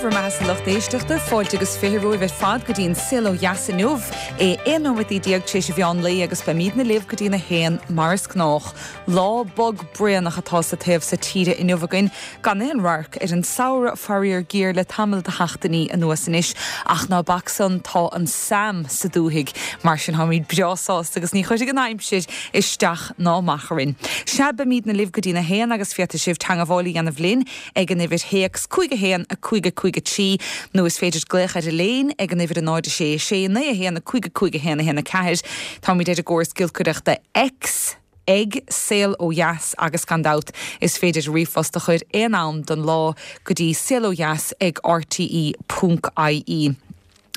Bhur mbeatha-sa lucht éisteachta, fáilte agus 20 romhaibh ar fad go dtí an Saol Ó Dheas inniu. É 11 nóiméad tar éis an mheán lae agus beimídne libh go dtí an 1 mar is gnách. Lá bog braonach atá sa taobh so tíre inniu againn, gan aon radharc ar an samhradh faraor géar le tamall de sheachtainí anuas anois. Ach ná bac san, tá an Sam sa dúthaigh, mar sin táimid breá sásta agus ní chuirfidh an aimsir isteach ná amach orainn. Sea, beimídne libh go dtí an 1 agus féadfaidh sibh teangabháil a dhéanamh linn ag an uimhir théacs 5 1 5 5 3 nó is féidir glaoch ar an léin ag an uimhir 0 6 6 9 1 5 5 1 1 4. Táimid ar an gcóras giolcaireachta X ag Saol Ó Dheas agus gan dabht is féidir ríomhphost a chur aon am den lá go dtí saolodheas ag rte ponc ie.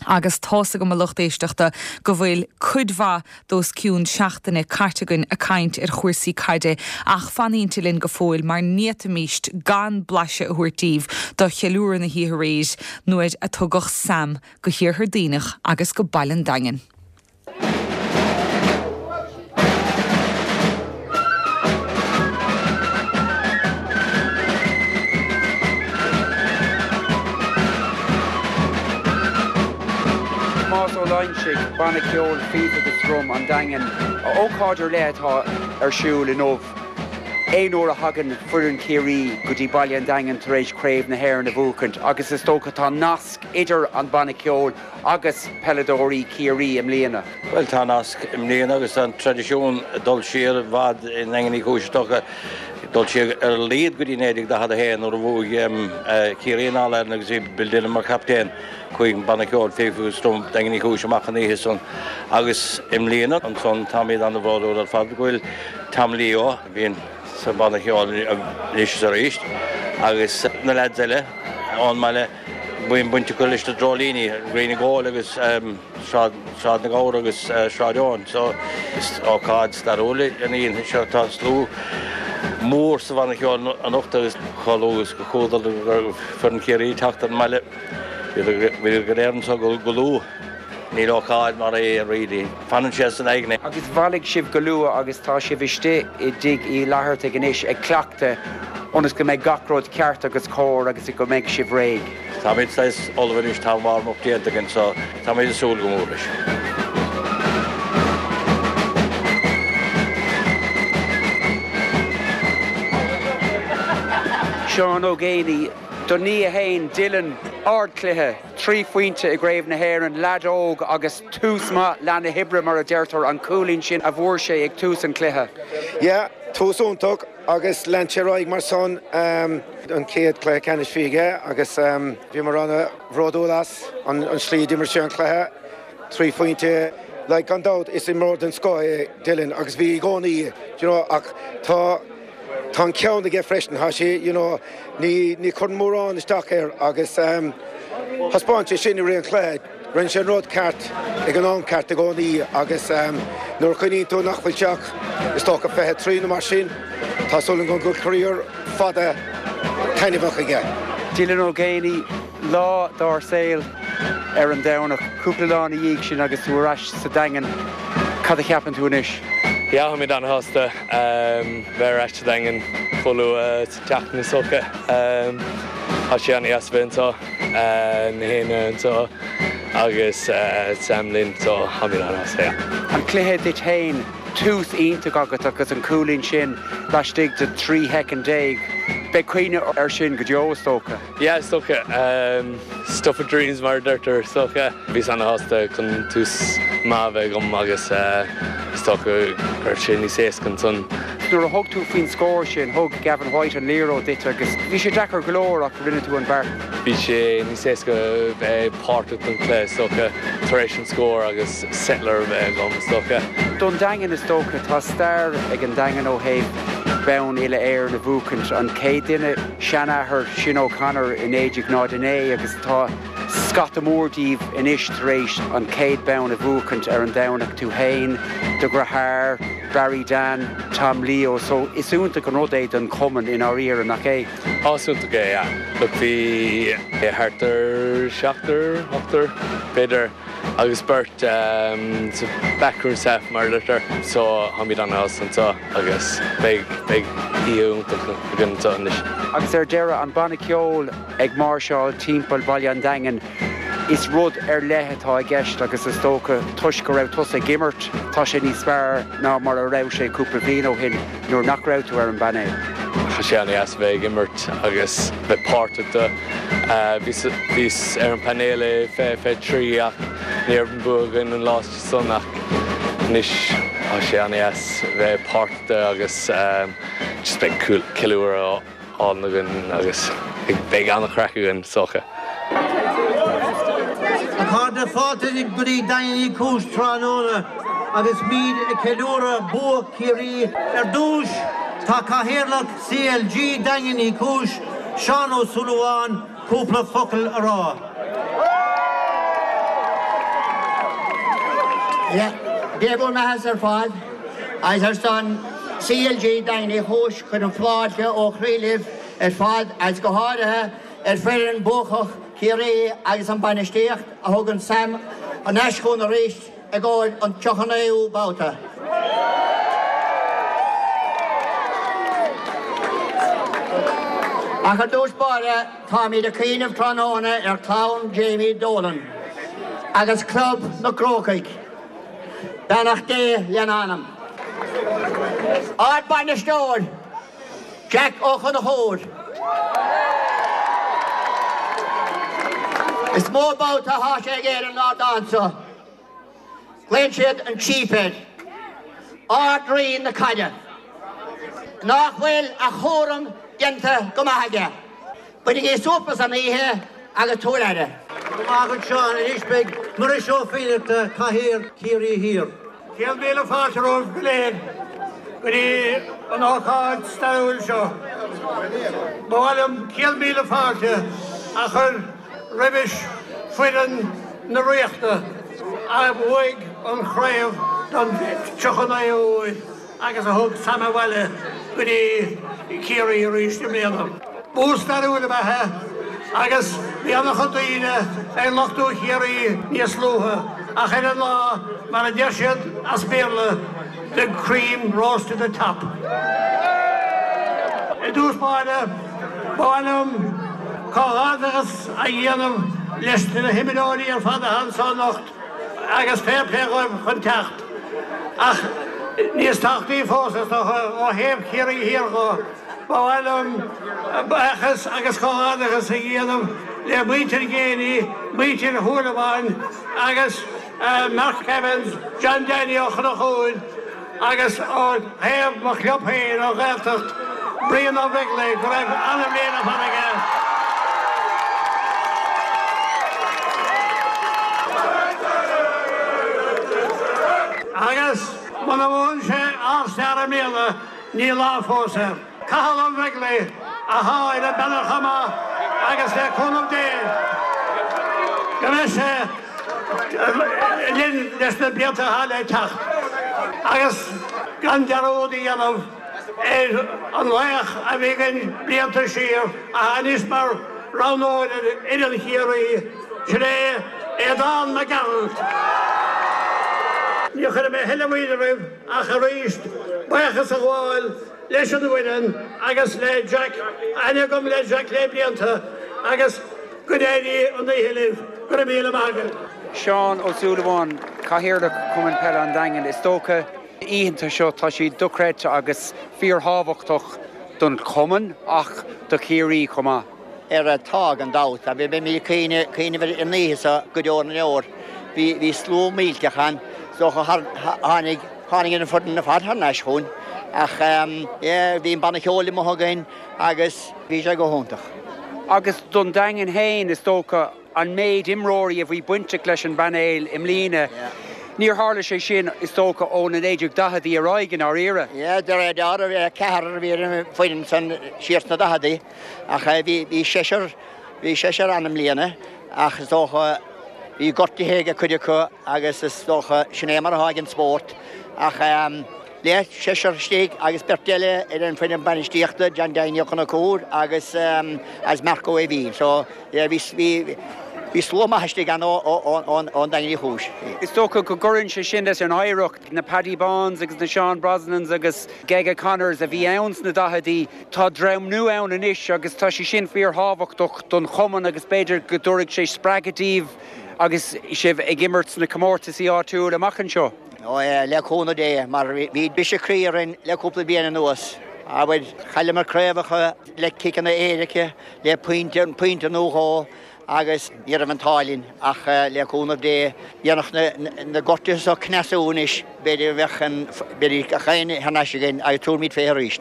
Agus tá's agam a lucht éisteachta go bhfuil cuid mhaith d'os cionn seachtaine caite againn ag caint ar chúrsaí caide ach fanaínnte linn go fóill mar ní fhéadfaimíst gan blaiseadh a thabhairt daoibh do cheiliúradh na hoíche aréir nuair a tugadh Sam go hIarthar Duibhneach agus go Baile an Daingin. Tomás Ó Loingsigh, Banna Ceoil Fíf agus Drum an Daingin. Ócáid ar leith atá ar siúl inniu. Aon uair a thagann foireann Chiarraí go dtí Baile an Daingin tar éis Craobh na hÉireann a bhuachaint agus is dócha tá nasc idir an banna ceoil agus peileadóirí Chiarraí i mbliana. Bhuel, tá nasc i mbliana agus tá an traidisiún ag dul siar i bhfad i nDaingean Uí Chúis is dócha, ag dul siar ar a laghad go dtí 1941 nuair a bhuaigh Ciarraí an All-Ireland agus bhí Bill Dillon mar chaptaen. Chuaigh an Banna Ceoil Fíf agus Drum Daingean Uí Chúis amach an oíche san agus i mbliana ansan táimid an-bhródúil ar fad go bhfuil Tom Leo, a bhíonn sa bhanna ceoil anois is arís, agus na leaids eile ón mbaile, Bíonn baint acu leis na dreoilíní, Green and Gold agus Sráid na nGabhar agus Sráid Eoin. So is ócáid stairiúil í an oíche seo. Tá slua mór sa bhanna ceoil anocht agus chomh luath is a chuala go raibh foireann Chiarraí ag teacht ar an mbaile, bhíodar go léir anseo go luath. Níl ócáid mar é really. Fanann sé san aigne. Agus bhailigh sibh go luath agus tá sibh istigh i dTigh Uí Fhlathartaigh anois ag cleachtadh ionas go mbeidh gach rud ceart agus cóir agus go mbeidh sibh réidh. Táimid saghas ullamh anois, tá an warm up déanta againn so táimid ag súil go mór leis. Seán Ó Géibheannaigh, Do nia fhéin, Dylan, ardchluiche. 3 phointe i gCraobh na hÉireann, leaid óg agus tús maith leath na hoibre mar a deirtear, an cúilín sin a bhfuair sé ag tús an chluiche. Yeah, tús iontach agus lean sé ar aghaidh mar san. An chéad chluiche ceannais a bhí aige agus bhíomar ana-bhródúil as an slí a d'imir sé an cluiche. 3 phointe, like gan dabht is imreoir den scoth é Dylan agus bhí i gcónaí, do you know, ach tá Tá an ceann aige freisin, tá sé, you know, ní, ní chuireann mórán isteach air agus thaispeáin sé sin i rith an chluiche. Rinne sé an rud ceart ag an am ceart i gcónaí agus nuair a chuimhníonn tú nach bhfuil sé ach, is dócha, 23 nó mar sin, tá súil agam go bhfuil career fada taitneamhach aige. Dylan Ó Géibheannaigh, lá dár saol ar an Domhnach, cúpla lá ina dhiaidh sin agus tú ar ais sa Daingean, cad a cheapann tú anois? Yeah, táimid an-shásta bheith ar ais sa Daingean chomh luath sa tseachtain is dócha. Tá sé an-deas a bheith anseo, na héinne anseo agus Sam linn, so táimid an-shásta, yeah. An cluiche duit féin, tús iontach agat agus an cúilín sin laistigh de 13 shoicind. Beidh cuimhne air sin go deo, is dócha. Yeah, is dócha. Stuff of dreams mar a deirtear, is dócha. Bhíos ana-shásta chun tús maith a bheith agam agus is dócha go raibh sé níos éasca ansan. Nuair a thug tú faoin scór sin, thug Gavin White an liathróid duit agus bhí sé deacair go leor ach rinne tú an beart. Bhí sé níos éasca bheith páirteach don chluiche is dócha tar éis an scór agus settler a bheith agam is dócha. Don Daingean is dócha, tá stair ag an Daingean ó thaobh bonn uile-Éireann a bhuachaint. An chéad duine seanathair Sin O'Connor i 1909 agus tá scata mór díobh anois tar éis an chéad bonn a bhuachaint ar an Domhnach, tú fhéin, do dheartháir, Barry Dan, Tom Leo, so is iontach an rud é don chumann i ndáiríre, nach é? Á, is iontach é, yeah. Look, bhí thart ar seachtar, ochtar, b'fhéidir, agus beirt sa backroom staff mar a deirtear, so táimid an-shásta anseo agus beidh, beidh. oíche iontach againn anseo anois. Agus ar deireadh, an banna ceoil ag máirseáil timpeall Bhaile an Daingin, is rud ar leith atá i gceist agus is dócha toisc go raibh tusa ag imirt, tá sé níos fearr ná mar a raibh sé cúpla bliain ó shin nuair nach raibh tú ar an bpainéal. Tá sé an-deas a bheith ag imirt agus bheith páirteach de. Bhíos ar an bpainéal i 2023 ach ní raibh an bua againn an lá san ach anois tá sé an-deas bheith páirteach de agus just beidh ceiliúradh álainn againn agus beidh an-chraic againn is dócha. A chairde, fáilte go dtí Daingean Uí Chúis tráthnóna agus muid ag ceiliúradh bua Chiarraí. Ar dtús, tá Cathaoirleach CLG Daingean Uí Chúis, Seán Ó Súilleabháin, cúpla focal a rá. Dé bhur mbeathasa ar fad agus ar son CLG Daingean Uí Chúis cuirim fáilte ó chroí libh ar fad agus go háirithe ar foireann buacach Chiarraí agus an bainistíocht a thug an Sam thar n-ais chugainn arís i gcomhair an 39ú babhta. Ach ar dtús báire, táimid ag cuimhneamh tráthnóna ar chlann Jamie Dolan agus Club na gCrócaigh. Beannacht Dé lena anam. Ár mbainisteoir, Jack Ó Conchúir. Is mó babhta atá sé ag ar an ardán seo. Glaonn siad an Chief air. Ard-Rí na caide. Nach bhfuil a chúram déanta go maith aige. Bainigí súp as an oíche agus tabhair aire. Go raibh maith agat Seán. Anois beidh Muiris Ó Fiannachta, Cathaoir Ciarraí Thiar. 100,000 fáilte romhaibh go léir go dtí an ócáid stairiúil seo. Ba mhaith liom 100,000 fáilte a chur roimis foireann na Ríochta a bhuaigh an chraobh don 39ú huair agus a thug Sam abhaile go dtí Ciarraí arís i mbliana. Bua stairiúil ab ea é agus bhí an-chuid daoine ag lochtú Chiarraí níos luaithe ach ar an lá, mar a deir siad as Béarla, the cream rose to the top. I dtús báire, ba mhaith liom comhghairdeachas a dhéanamh leis na himreoirí ar fad atá anseo anocht agus fair play dhóibh chun teacht. Ach níos tábhachtaí fós, is dócha, ó thaobh Chiarraí Thiar dho, ba mhaith liom buíochas agus comhghairdeachas a dhéanamh le muintir Geaney, muintir Shúilleabháin agus Mark Evans, John Danny Ó Conchúir agus ó thaobh mo chlub féin, an Ghaeltacht, Brian Ó Beaglaoich, go raibh an-bhliain ar fad aige. Agus muna mbuann sé All Star i mbliana, ní lá fós air. Cathal Ó Beaglaoich atá ar an bpeanel chomh maith agus le cúnamh Dé go mbeidh sé linn leis na blianta atá le teacht agus gan dearúd a dhéanamh ar an laoch a bhí againn blianta siar atá anois mar roghnóir ar fhoireann Chiarraí, sin é Aodán Mac Gearailt. Ní chuirfidh mé a thuilleadh moille oraibh ach arís buíochas a ghabháil leis an bhfoireann agus le Jack, aithne agam le Jack le blianta agus go n-éirí an oíche libh. Go raibh míle maith agaibh. Seán Ó Súilleabháin, Cathaoirleach Chumann Peile an Daingin, Is dócha, oícheanta seo, tá siad dochreidte agus fíorthábhachtach don chumann ach do Chiarraí chomh maith. Ar tá, gan dabht. Beimid ag cuimhneamh ar an oíche seo go deo na ndeor. Bhí slua millteach ann. Is dócha tháinig tháinig an foireann ar fad thar n-ais chugainn. Ach yeah, bhí an banna ceoil amuigh againn agus bhí sé go hiontach. Agus don Daingean féin, is dócha, an méid imreoirí a bhí bainteach leis an bpainéal i mbliana, níor tharla sé sin, is dócha, ó na 1940idí ar aghaidh, i ndáiríre. Yeah, de réir dealraimh, ceathrar a bhí ar an bhfoireann san siar sna daicheadaí ach bhí seisear, bhí seisear ann i mbliana ach is dócha bhí gortuithe ag cuid acu agus is dócha sin é mar atá ag an spórt ach le seisear istigh agus beirt eile ar an bhfoireann bainistíochta, John Danny Ó Conchúir agus agus Mark Ó Aoibhín. So yeah, bhí, bhí. Bhí slua maith istigh ann ón Daingean Uí Chúis. Is dócha go gcuireann sé sin leis an oidhreacht, na Paddy Báns agus na Seán Brosnans agus Gega Connors a bhí ann sna daicheadaí. Tá dream nua ann anois agus tá sé sin fíorthábhachtach don chumann agus b'fhéidir go dtabharfaidh sé spreagadh daoibh agus sibh ag imirt sna comórtaisí áitiúil amach anseo. Ó le cúnamh Dé, mar bhí briseadh croí orainn le cúpla bliain anuas. Abair, chailleamar craobhacha le ciceanna éirice, le pointe, pointe nó dhó agus ní raibh an t-ádh linn ach le cúnamh Dé, dhéanfadh na gortuithe seo cneasú anois, b'fhéidir go mbeadh an, b'fhéidir gach éinne thar n-ais againn agus tabharfaimid fé arís.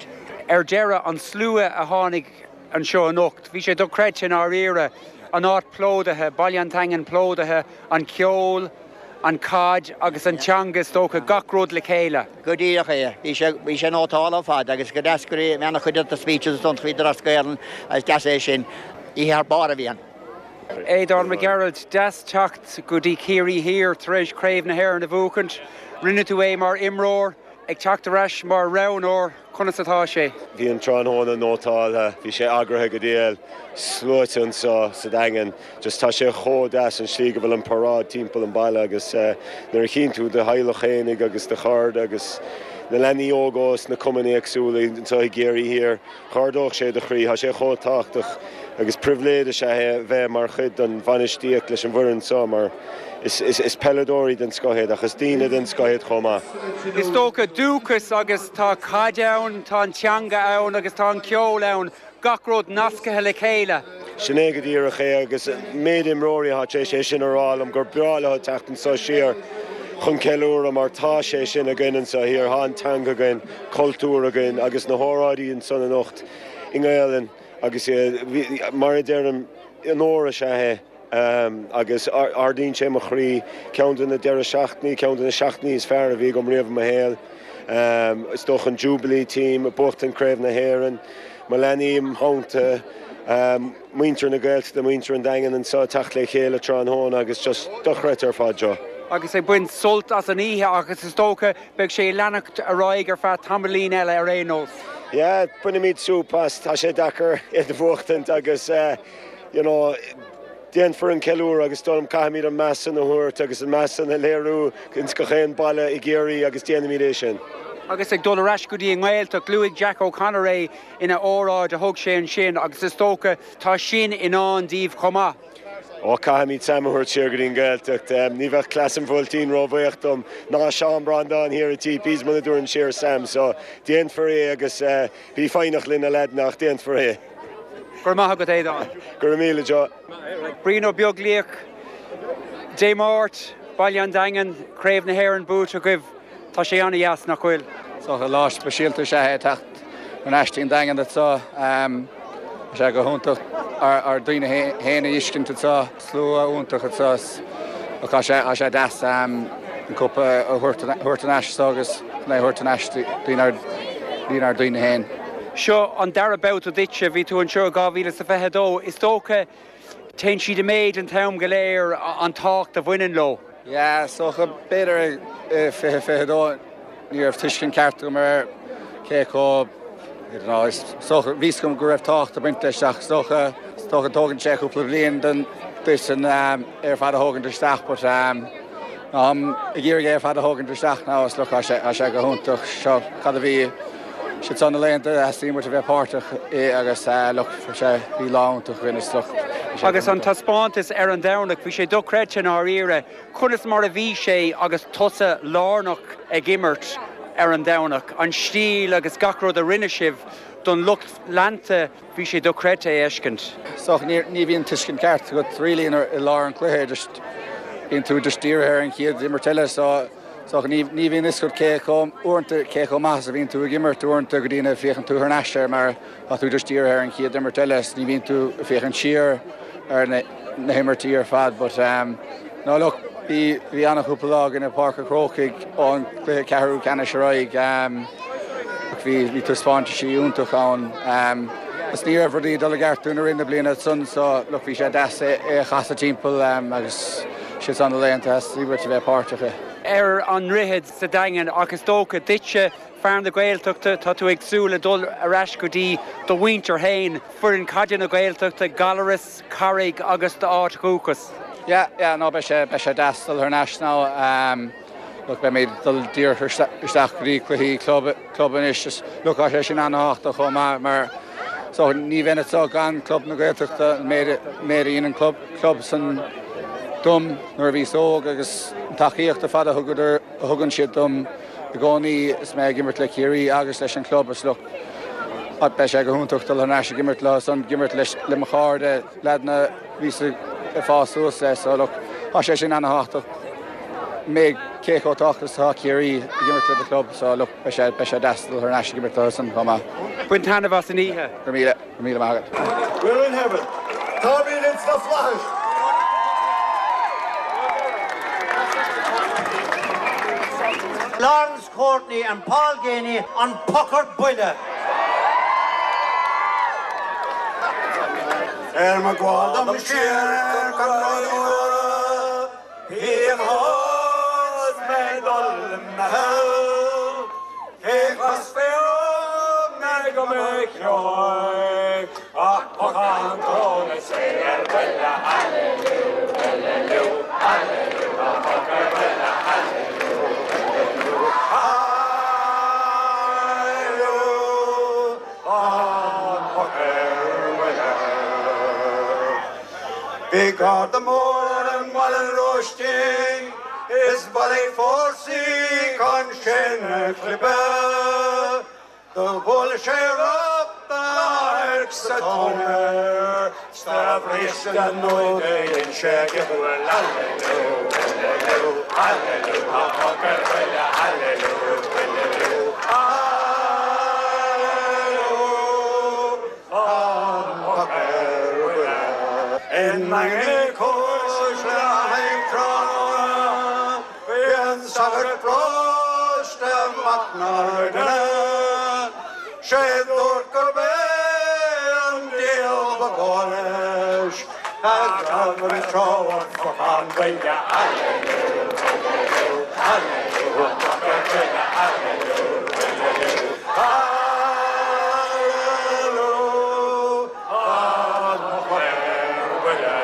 Ar deireadh, an slua a tháinig anseo anocht, bhí sé dochreidte i ndáiríre, an áit plódaithe, Baile an Daingin plódaithe, an ceol, an chaid agus an teanga is dócha, gach rud le chéile. Go díreach é. Bhí sé, bhí sé nótálta ar fad agus go deas go raibh ana-chuid de na speeches ansan bhíodar as Gaelainn agus deas é sin. Oíche thar barr a bhí ann. Aodán Mac Gearailt, deas teacht go dtí Ciarraí Thiar tar éis Craobh na hÉireann a bhuachaint. Rinne tú é mar imreoir, ag teacht ar ais mar roghnóir. Conas atá sé? Bhí an tráthnóna nótáltha, bhí sé eagraithe go diail, sluaite anseo sa Daingean. Just tá sé chomh deas an slí go bhfuil an paráid timpeall an baile agus nuair a chíonn tú do theaghlach fhéinig agus do chairde agus na leanaí óga ós na cumainn éagsúla anseo i gCiarraí Thiar, dh'ardódh sé do chroí. Tá sé chomh tábhachtach agus pribhléid is ea é a bheith mar chuid den bhainistíocht leis an bhfoireann seo mar is peileadóirí den scoth iad ach is daoine den scoth iad chomh maith. Is dócha dúchas agus tá caid ann, tá an teanga ann agus tá an ceol ann, gach rud nascaithe le chéile. Sin é go díreach é agus an méid imreoirí atá tar éis é sin a rá liom gur breá leo teacht anseo siar chun ceiliúradh mar tá sé sin againn anseo thiar, tá an teanga againn, cultúr againn agus na hóráidí ansan anocht i nGaelainn agus mar a deirim, onóir is ea é agus ardaíonn sé mo chroí. Ceann de na deireadh seachtainí, ceann de na seachtainí is fearr a bhí agam riamh i mo shaol. Is dócha an Jubilee Team, ag buachtaint Craobh na hÉireann, mo leanaí im theannta, muintir na Gaeltachta, muintir an Daingin anseo ag teacht le chéile tráthnóna agus just dochreidte ar fad seo. Agus ag baint sult as an oíche agus is dócha beidh sé ag leanacht ar aghaidh ar feadh tamaillín eile ar aon nós. Yeah, bainfimid súp as, tá sé deacair iad a bhuachtaint agus you know, déanfar an ceiliúradh agus dóigh liom caithfimid an meas san a thabhairt agus an meas san a léiriú ins gach aon baile i gCiarraí agus déanfaimid é sin. Agus ag dul ar ais go dtí an nGaeltacht, luaigh Jack O'Connor é ina óráid a thug sé ansin agus is dócha tá sin i ndán daoibh chomh maith. Ó, caithfimid Sam a thabhairt siar go dtí an Ghaeltacht. Ní bheadh cleas an Bhuailtín róbhuíoch dom, ná Seán Breandán thiar i TPs muna dtabharfainn siar Sam. So, déanfar é agus bí foighneach linn a leaideanna ach déanfar é. Go raibh maith agat, Aodán. Go raibh míle, Joe. Brian Ó Beaglaoich, Dé Máirt, Baile an Daingin, Craobh na hÉireann buaite agaibh. Tá sé an-dheas, nach bhfuil? Is dócha lá speisialta is ea é teacht thar n-ais dtí an Daingean anseo. Tá sé go hiontach ár ndaoine féin a fheiscint anseo, slua iontach anseo. Tá sé tá sé deas an cupa a thabhairt thar n-ais anseo agus chun é a thabhairt thar n-ais dtí ár ndaoine féin. Seo an dara babhta duitse, bhí tú anseo i 2022. Is dócha Téann siad i méid an t-am go léir, an tábhacht a bhaineann leo. Yeah, is dócha, b'fhéidir i 2022 ní raibh tuiscint ceart agam ar cé chomh, I don't know, is dócha, bhí 'fhios agam go raibh tábhacht ag baint leis ach is dócha, is dócha tógann sé cúpla bliain don duit an é ar fad a thógaint isteach but táim ag iarraidh é ar fad a thógaint isteach now is look, tá sé, tá sé go hiontach seo cad a bhí Siad seo na laethanta a theastaíonn uait a bheith páirteach i agus look sé bhí lá iontach againn is look bhí sé Agus an taispeántas ar an Domhnach, bhí sé dochreidte i ndáiríre. Conas mar a bhí sé agus tusa lárnach ag imirt ar an Domhnach? An stíl agus gach rud a rinne sibh don lucht leanta, bhí sé dochreidte é a fheiscint. Is dócha ní bhíonn tuiscint ceart agat really i lár an chluiche, just bíonn tú just dírithe ar an chéad imirt eile so So ní bhíonn fhios agat cé chomh, uaireanta, cé chomh maith is a bhíonn tú ag imirt, uaireanta go dtí nuair a féachann tú thar n-ais air mar tá tú just dírithe ar an chéad imirt eile is ní bhíonn tú ag féachaint siar ar na na himirtí ar fad but um, no look, bhí bhí an-chúpla lá againn i Páirc an Chrócaigh ón gcluiche ceathrú ceannais ar aghaidh um, ach bhí bhí taispeántaisí iontach ann um, agus ní raibh rudaí ag dul i gceart dúinn i rith na bliana san so look bhí sé deas é é a chasadh timpeall um, agus Siad seo na laethanta a theastaíonn uait a bheith páirteach i. ar an nDroichead sa Daingean ach is dócha duitse. Fear na Gaeltachta, tá tú ag súil le dul ar ais go dtí do mhuintir féin, foireann caide na Gaeltachta, Gallaras, Carraig agus d'áit dhúchais. Yeah, yeah, no, beidh sé, beidh sé deas dul thar n-ais now. Um, look, beimid ag dul díreach isteach go dtí cluichí club, club anois. Just, look, tá sé sin an-tábhachtach chomh maith mar so ní bheinn anseo gan Club na Gaeltachta, an méid, méid a dhein an club, club san dom nuair a bhíos óg agus an tacaíocht ar fad a thugadar, a thugann siad dom i gcónaí is mé ag imirt le Ciarraí agus leis an chlub is look, beidh sé go hiontach dul thar n-ais ag imirt leo san, ag imirt leis, le mo chairde, leaideanna a bhíos ag fás suas le so look, tá sé sin ana-thábhachtach mé cé chomh tábhachtach is atá Ciarraí ag imirt le do chlub so look, beidh sé, beidh sé deas dul thar n-ais ag imirt leo san chomh maith. Bain taitneamh as an oíche. Go raibh míle, go raibh míle maith agat. We're in heaven. Táimid ins na flaithis. Laurence Courtney and Paul Geaney an Pocar Buile. Ar mo ghabháil dom siar go Droim Bhí is mé ag dul i meitheal, cé chloisfí orm mé go mba cheoil ach pocán tóna is é ar buile, aililiú, aililiú, aililiú, a poc ar buile, aililiú, aililiú, aililiú, an poc ar buile. Bhí garda mór i mBaile an Róistín is bhailigh fórsaí chun sinn a chlipeadh. Do bhuail sé ropp adhairc sa tóin air 's do bhris a ndóigh dhein sé giobal Aililiú, aililiú, aililiú, tá poc ar buile, aililiú, aililiú, aililiú. An poc ar buile i nDaingean Uí Chúis le haghaidh tráthnóna bhí an sagart paróiste Mac nár duine sé dúirt gurb é an diabhal ba chóir leis a ghabh an treo an phocán buile Aililiú, aililiú, aililiú, an poc ar buile, aililiú, aililiú, aililiú, an poc ar buile.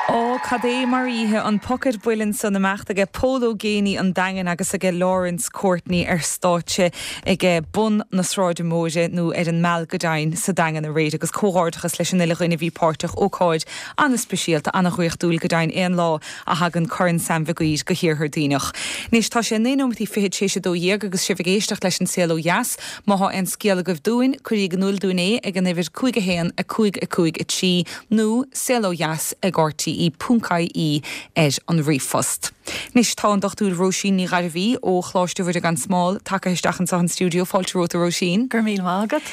Ó, cad é mar oíche an poc ar buile ansan imeacht aige Pól Ó Géibheannaigh an Daingean agus aige Laurence Courtney ar stáitse ag bun na Sráide Móire, nó ar an Meal go deimhin, sa Daingean aréir agus comhghairdeachas leis an uile dhuine a bhí páirteach, ócáid an-speisialta, an-dhraíochtúil go deimhin aon lá a thagann Corn Sam Mhig Uidhir go hiarthar Duibhneach. Anois tá sé 9 nóimeataí fichead tar éis 12 agus sibh ag éisteacht leis an Saol Ó Dheas. Má thá aon scéal agaibh dúinn, cuiríg in iúl dúinn é ag an uimhir 5 1 5 5 3 nó saolodheas ag rte ponc ie ar an ríomhphost. Anois tá an Dr Róisín Ní Ghairbhí ó Choláiste Mhuire gan Smál tagtha isteach anseo an stiúideo. Fáilte romhat a Róisín. Go raibh míle maith agat.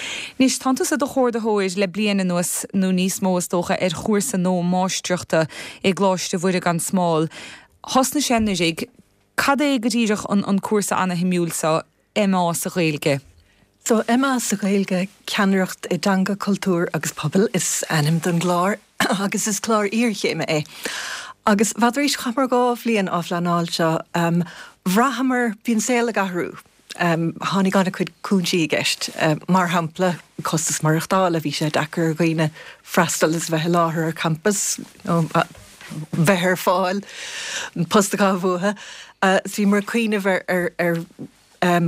Anois tánn tusa i do chomhordaitheoir le bliain anuas, nó níos mó is dócha, ar chúrsa nua máistreachta i gColáiste Mhuire gan Smál. Thosnaigh sé anuraidh. Cad é go díreach an cúrsa ana-shuimiúil seo, MA sa Ghaeilge? So, MA sa Ghaeilge, Ceannaireacht i dTeanga, Cultúr agus Pobal is ainm don gclár agus is clár iarchéime é. Agus b'fhéidir chaitheamar 2 bhliain á phleanáil seo, bhraitheamar, bhí an saol ag athrú, tháinig an-chuid cúinsí i gceist, mar shampla costas maireachtála, bhí sé deacair ar dhaoine freastal is a bheith i láthair ar campas, bheith ar fáil, post a chaitheamh uathu. So bhíomar ag cuimhneamh ar ar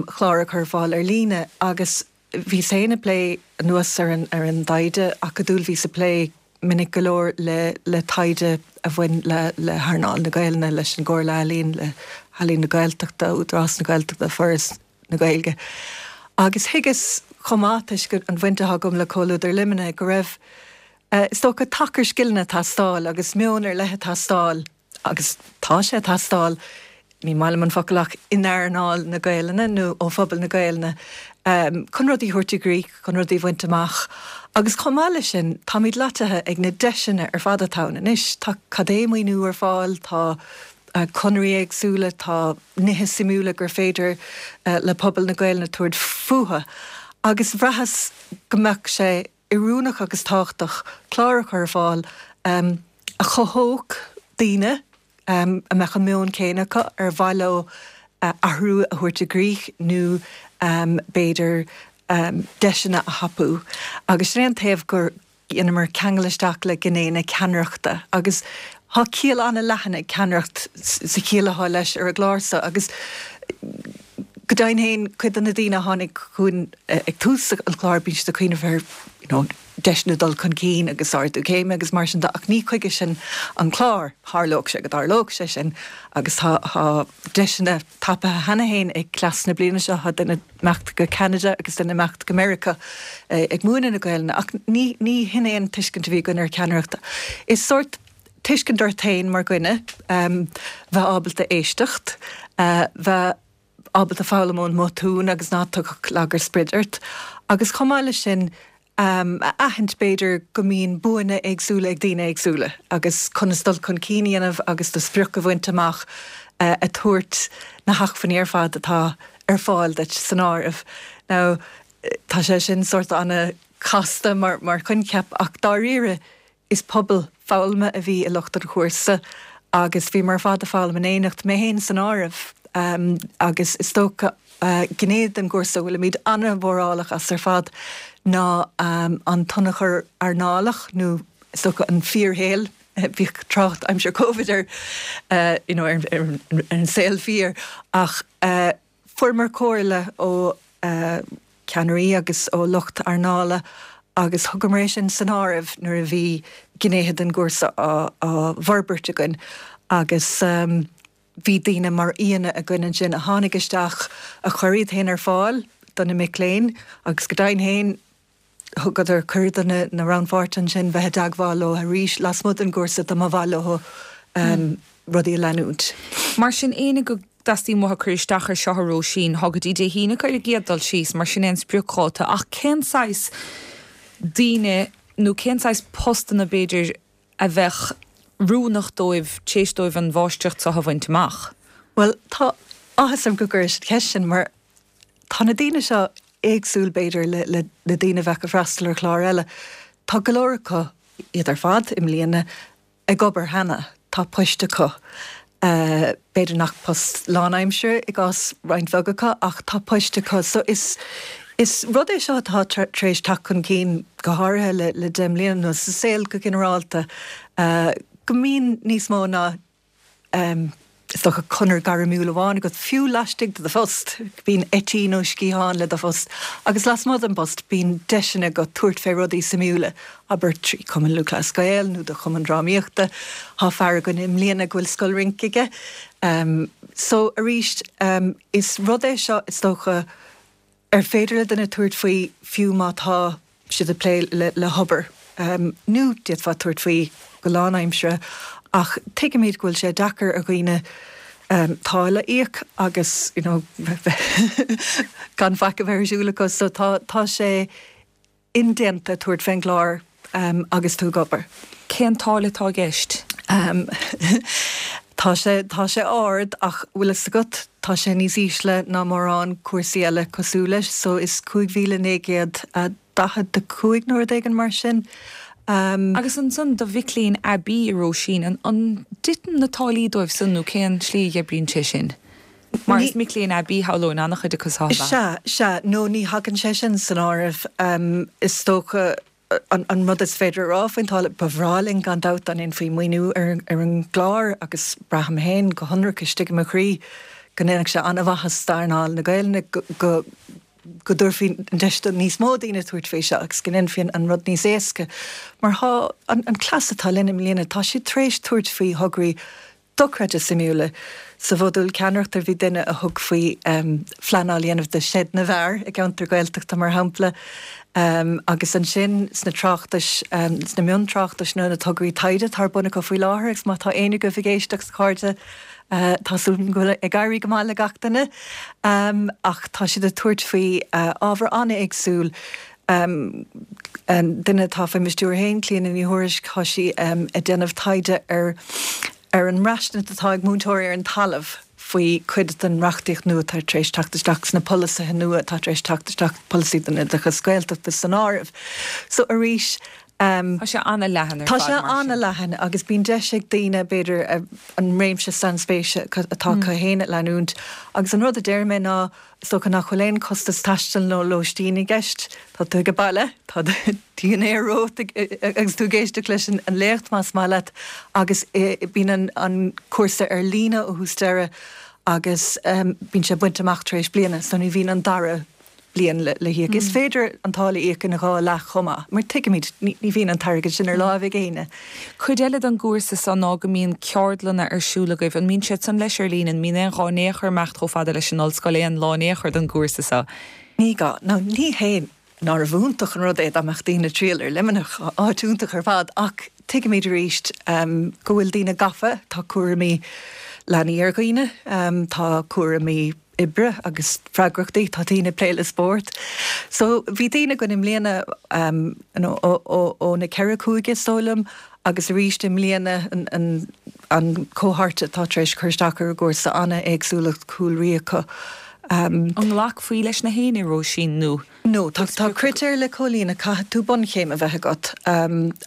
chlár a chur ar fáil ar líne agus bhíos féin ag plé anuas ar an ar an dtaighde acadúil, bhíos ag plé minic go leor le le taighde a bhain le le hearnáil na Gaelainne, leis an gComhairle Ealaíon, le hEalaín na Gaeltachta, Údarás na Gaeltachta, Foras na Gaeilge. Agus thuigeas chomh maith, toisc an bhaint atá agam le Comhluadar Luimnigh, go raibh, is dócha, tacar scileanna ag teastáil agus meon ar leith ag teastáil agus tá sé ag teastáil, ní maith liom an focal ach in earnáil na Gaelainne nó ó phobal na Gaelainne chun rudaí a thabhairt i gcrích, chun rudaí a bhaint amach. Agus chomh maith leis sin, táimid loitithe ag na deiseanna ar fad atá ann anois. Tá cad é maoiniú ar fáil, tá conairí éagsúla, tá nithe suimiúla gur féidir le pobal na Gaelainne tabhairt fúthu. Agus bhraitheas go mbeadh sé oiriúnach agus tábhachtach clár a chur ar fáil a chothódh daoine a mbeadh an meon céanna acu, ar mhaith leo. athrú a thabhairt i gcrích nó b'fhéidir deiseanna a thapú. Agus sin é an taobh gur dheineamar ceangal isteach le gné na ceannaireachta agus tá ciall an-leathan ag ceannaireacht sa chiall atá leis ar an gclár seo agus go deimhin féin cuid de na daoine a tháinig chugainn ag tús an chláir bíonn siad ag cuimhneamh ar you know deiseanna dul chun cinn agus ardú céime agus mar sin de ach ní chuige sin an clár. Tharlódh sé go dtarlódh sé sin agus tá tá deiseanna tapaithe cheana féin ag cleas na bliana seo, tá duine imeacht go Ceanada agus duine imeacht go Meiriceá ag múineadh na Gaelainne ach ní ní hin é an tuiscint a bhí againn ar cheannaireacht. Is sórt tuiscint ort féin mar dhuine, bheith ábalta éisteacht, bheith ábalta foghlaim ón mbotún agus ná tiocfadh lagar sprid ort agus chomh maith leis sin a aithint b'fhéidir go mbíonn buanna éagsúla ag daoine éagsúla agus conas dul chun cinn a dhéanamh agus do sprioc a bhaint amach ag tabhairt na hacmhainní ar fad atá ar fáil duit san áireamh. Now tá sé sin sórt an-chasta mar mar choincheap ach dáiríre Is pobal foghlama a bhí i lucht an chúrsa agus bhíomar ar fad ag foghlaim in éineacht, mé féin san áireamh, agus is dócha gné den gcúrsa a bhfuilimid an-mhórálach as ar fad ná an t-ionchur earnálach nó is dócha an fíorshaol, bhíodh trácht aimsir Covid ar you know ar an saol fíor ach Fuaireamar comhairle ó cheannairí agus ó lucht earnála agus thugamar é sin san áireamh nuair a bhí gnéithe den gcúrsa á bhforbairt againn agus bhí daoine mar aíonna againn ansin a tháinig isteach a chuir iad féin ar fáil do na mic léinn agus go deimhin féin Thugadar cuireadh do na rannpháirtithe ansin bheith i dteagmháil leo arís lasmuigh den gcúrsa dá mba mhaith leo rudaí a leanúint. Mar sin, éinne go dteastaíonn uathu cur isteach ar seo a Róisín, tá go dtí Dé hAoine acu ar an gcéad dul síos, mar sin é an spriocdháta. Ach cén saghas daoine nó cén saghas postanna b'fhéidir a bheadh oiriúnach dóibh tar éis dóibh an mháistreacht seo a bhaint amach? Bhuel, tá áthas orm go gcuiris an cheist sin mar Tá na daoine seo éagsúil, b'fhéidir, le le daoine a bheadh ag freastal ar chlár eile. Tá go leor acu, iad ar fad, i mbliana, ag obair cheana. Tá poist acu. B'fhéidir nach post lánaimseartha i gcás roinnt bheag acu, ach tá poist acu. So is is rud é seo atá tar éis teacht chun cinn, go háirithe le le 10 mbliana anuas, sa saol go ginearálta, go mbíonn níos mó ná is dócha, conair gairmiúil amháin agat, fiú laistigh de do phost. Bíonn eití nó sciatháin le do phost agus lasmuigh den bpost bíonn deiseanna agat tabhairt fé rudaí suimiúla, abair trí Chumann Lúthchleas Gael nó do chumann drámaíochta. Tá fear againn i mbliana go bhfuil scoil rince aige. So, arís, is rud é seo, is dócha, ar féidir le duine tabhairt faoi fiú má tá siad ag plé le hobair, nó d'fhéadfá tabhairt faoi go lánaimseartha, ach tuigimid go bhfuil sé deacair ar dhaoine táille a íoc agus you know gan faic a bheith ar siúl acu, so tá tá sé indéanta tabhairt fén gclár agus tú ag obair. Cén táille atá i gceist? Tá sé, tá sé ard ach bhfuil fhios agat, tá sé níos ísle ná mórán cúrsaí eile cosúil leis, so is 5,945 nó rud éigin mar sin. Agus ansan do mhic léinn aibí, a Róisín, an dtiteann na táillí dóibh san nó cén slí a oibríonn sé sin? Mar is mic léinn aibí, shamhlóinn, an-chuid acu seo, ab ea? Sea, sea. No, ní thagann sé sin san áireamh. Is dócha, an rud is féidir a rá faoin táille, ba bhreá linn gan dabht dá ndéanfaí maoiniú ar an gclár agus braithim féin go hionraic istigh i mo chroí go ndéanfadh sé an-mhaitheas d'earnáil na Gaelainne go go dtabharfaí an deis do níos mó daoine tabhairt faoi seo agus go ndéanfaí an rud níos éasca. Mar tá an cleas atá linn i mbliana, tá siad tar éis tabhairt faoi thograí dochreidte suimiúla. Sa mhodúl ceannaireachta bhí duine a thug faoi phleanáil a dhéanamh do Seid na bhFear i gceantar Gaeltachta, mar shampla, agus ansin sna tráchtais, sna miontráchtais nó na tograí taighde atá ar bun acu faoi láthair agus má tá éinne agaibh ag éisteacht, a chairde, tá súil agam go bhfuil ag éirí go maith le gach duine, ach tá siad ag tabhairt faoi ábhar an-éagsúil. An duine atá faoi mo stiúir féin, Clíona Ní Thuairisg, tá sí ag déanamh taighde ar ar an mbraistint atá ag múinteoirí ar an talamh faoi chuid den reachtaíocht nua atá tar éis teacht isteach, sna polasaithe nua atá tar éis teacht isteach, polasaí don oideachas Gaeltachta san áireamh. So arís. Tá sé an-leathan ar fad mar sin. Tá sé an-leathan agus bíonn deis ag daoine, b'fhéidir, an réimse sainspéise atá acu féin a leanúint. Agus an rud a deir mé ná, is dócha nach bhfuil aon chostas taistil nó lóistín i gceist. Tá tú ag baile, tá dinnéar romhat agus tú ag éisteacht leis an léacht más maith leat agus bíonn an cúrsa ar líne ó thús deireadh agus bíonn sé bainte amach tar éis bliana so ní bhíonn an dara bliain le híoc. Is féidir an táille a íoc ina dhá leath chomh maith, mar tuigimid, ní bhíonn an t-airgead sin ar láimh ag éinne. Cuid eile den gcúrsa so ná go mbíonn ceardlanna ar siúl agaibh. An mbíonn siad san leis ar líne? An mbíonn aon ghá in aon chor imeacht chomh fada leis an ollscoil aon lá in aon chor don gcúrsa so? Ní gá. Nó ní hé nárbh iontach an rud é dá mbeadh daoine ag triall ar Luimneach, áit iontach ar fad, ach tuigimid arís go bhfuil daoine gafa, tá cúraimí leanaí ar dhaoine, tá cúraimí oibre agus freagrachtaí, tá daoine ag plé le spórt. So bhí daoine againn i mbliana you know ó na ceithre cúige is dóigh liom agus arís i mbliana an an cohort atá tar éis cur isteach ar an gcúrsa an-éagsúlacht cúlraí acu. An nglacfaí leis na héinne, Róisín, nó? No, tá tá critéir le comhlíonadh, caithfidh tú bunchéim a bheith agat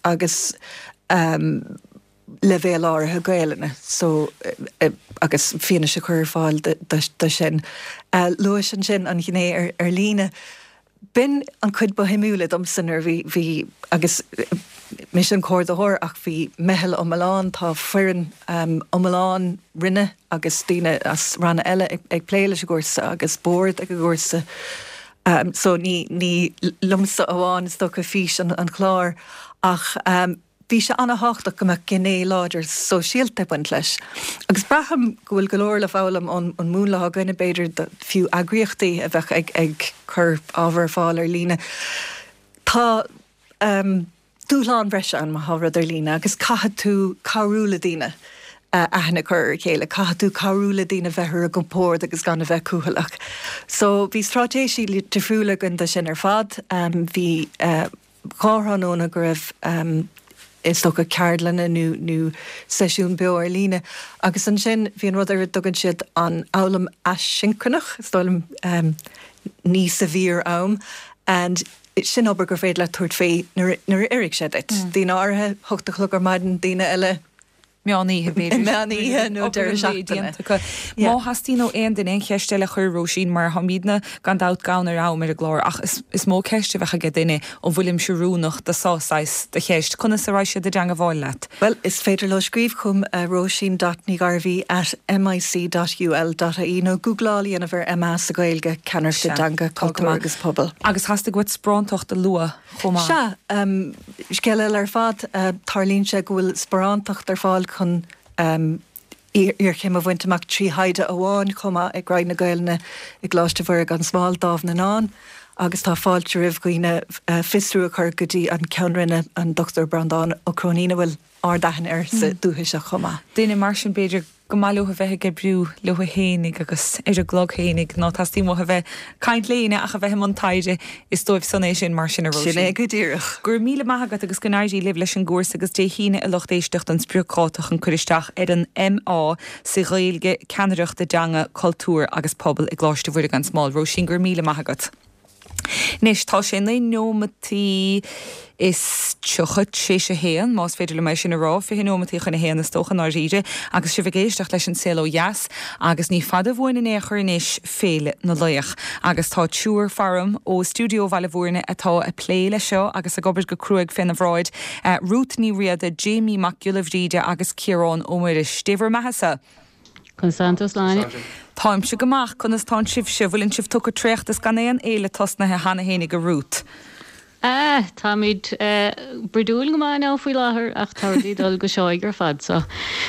agus leibhéal áirithe Gaelainne so agus fianaise a chur ar fáil do sin. Luais ansin an ghné ar líne. B'in an chuid ba shuimiúla domsa nuair a bhí, bhí, agus mise an comhordaitheoir ach bhí meitheal iomlán, tá foireann iomlán roinne agus daoine as ranna eile ag plé leis an gcúrsa agus bord ag an gcúrsa. So ní, ní liomsa amháin is dócha fís an chláir ach, Bhí sé an-thábhachtach go mbeadh gné láidir sóisialta ag baint leis. Agus braithim go bhfuil go leor le foghlaim ón múnla atá againne, b'fhéidir, do fiú eagraíochtaí a bheadh ag ag cur ábhar ar fáil ar líne. Tá dúshlán breise ann má tá rud ar líne agus caithfidh tú cabhrú le daoine aithne a chur ar a chéile, caithfidh tú cabhrú le daoine bheith ar a gcompord agus gan a bheith cúthaileach. So bhí straitéisí difriúla againn do sin ar fad. Bhí. thráthnóna go raibh is dócha ceardlanna nó nó seisiún beo ar líne agus ansin bhí an rud ar a dtugann siad an fhoghlaim aisioncronach, is dóigh liom, ní sa bhfíor-am and sin obair gur féidir leat tabhairt faoi nuair nuair a oirfidh sé duit. Daoine áirithe, hocht a chlog ar maidin, daoine eile, Meán oíche, b'fhéidir. Meán oíche nó deireadh seachtaine. Má theastaíonn ó aon duine aon cheist eile a chur ar Róisín, mar táimidne gan dabht gann ar am ar an gclár, ach is mó ceist a bheadh aige duine, an bhfuilimse oiriúnach do seo saghas de cheist, conas a raghaidh siad i dteangabháil leat? Bhuel, is féidir leo scríobh chugam róisín dot ní ghairbhí at mic dot ul dot ie nó gúgláil a dhéanamh ar MA sa Ghaeilge, Ceannaireacht i dTeanga, Cultúr agus Pobal. Agus theastaigh uait sparántacht a lua. chomh maith. Sea, scéal eile ar fad, tarlaíonn sé go bhfuil sparántacht ar fáil chun iarchéim a bhaint amach trí thaighde amháin chomh maith ag Roinn na Gaelainne i gColáiste Mhuire gan Smál, Dámh na nDán, agus tá fáilte roimh dhaoine fiosrú a chur go dtí an Ceann Roinne, an Dr Breandán Ó Cróinín, a bhfuil ard-aithne air sa dúiche seo chomh maith. Duine mar sin, b'fhéidir, go maith leo a bheith ag oibriú leo fhéinig agus ar a gclog fhéinig, ná teastaíonn uathu a bheith ag caint le éinne ach a bheith i mbun taighde, is dóibh san é sin, mar sin, a Róisín. Sin é go díreach. Go raibh míle maith agat agus go n-éirí libh leis an gcúrsa agus Dé hAoine a lucht éisteachta an spriocdháta chun cur isteach ar an MA sa Ghaeilge, Ceannaireacht i dTeanga, Cultúr agus Pobal i gColáiste Mhuire gan Smál. Róisín, go raibh míle maith agat. Anois, tá sé 9 neomataí is 30 t'réis a haon, más féidir liom é sin a rá, 20 neomataí chun a haon is dócha, i ndáiríre, agus sibh ag éisteacht leis an Saol Ó Dheas, agus ní fada uainn in aon chor anois Féile na Laoch. Agus tá triúr faram ó Stiúideo Bhaile Bhúirne atá ag plé leis seo agus ag obair go cruaidh féna bhráid, Ruth Ní Riada, Jamie Mac Giolla Bhríde agus Ciarán Ó Muiris. Dé bhur mbeathasa! Conas tánn tú, a Shláine? Táimse go maith, conas tánn sibhse? Bhfuileann sibh tugtha traochta is gan aon fhéile tosnaithe cheana fhéinig, a Ruth? Ah, táimid bruidiúil go maith now faoi láthair ach tá rudaí ag dul go seoigh ar fad so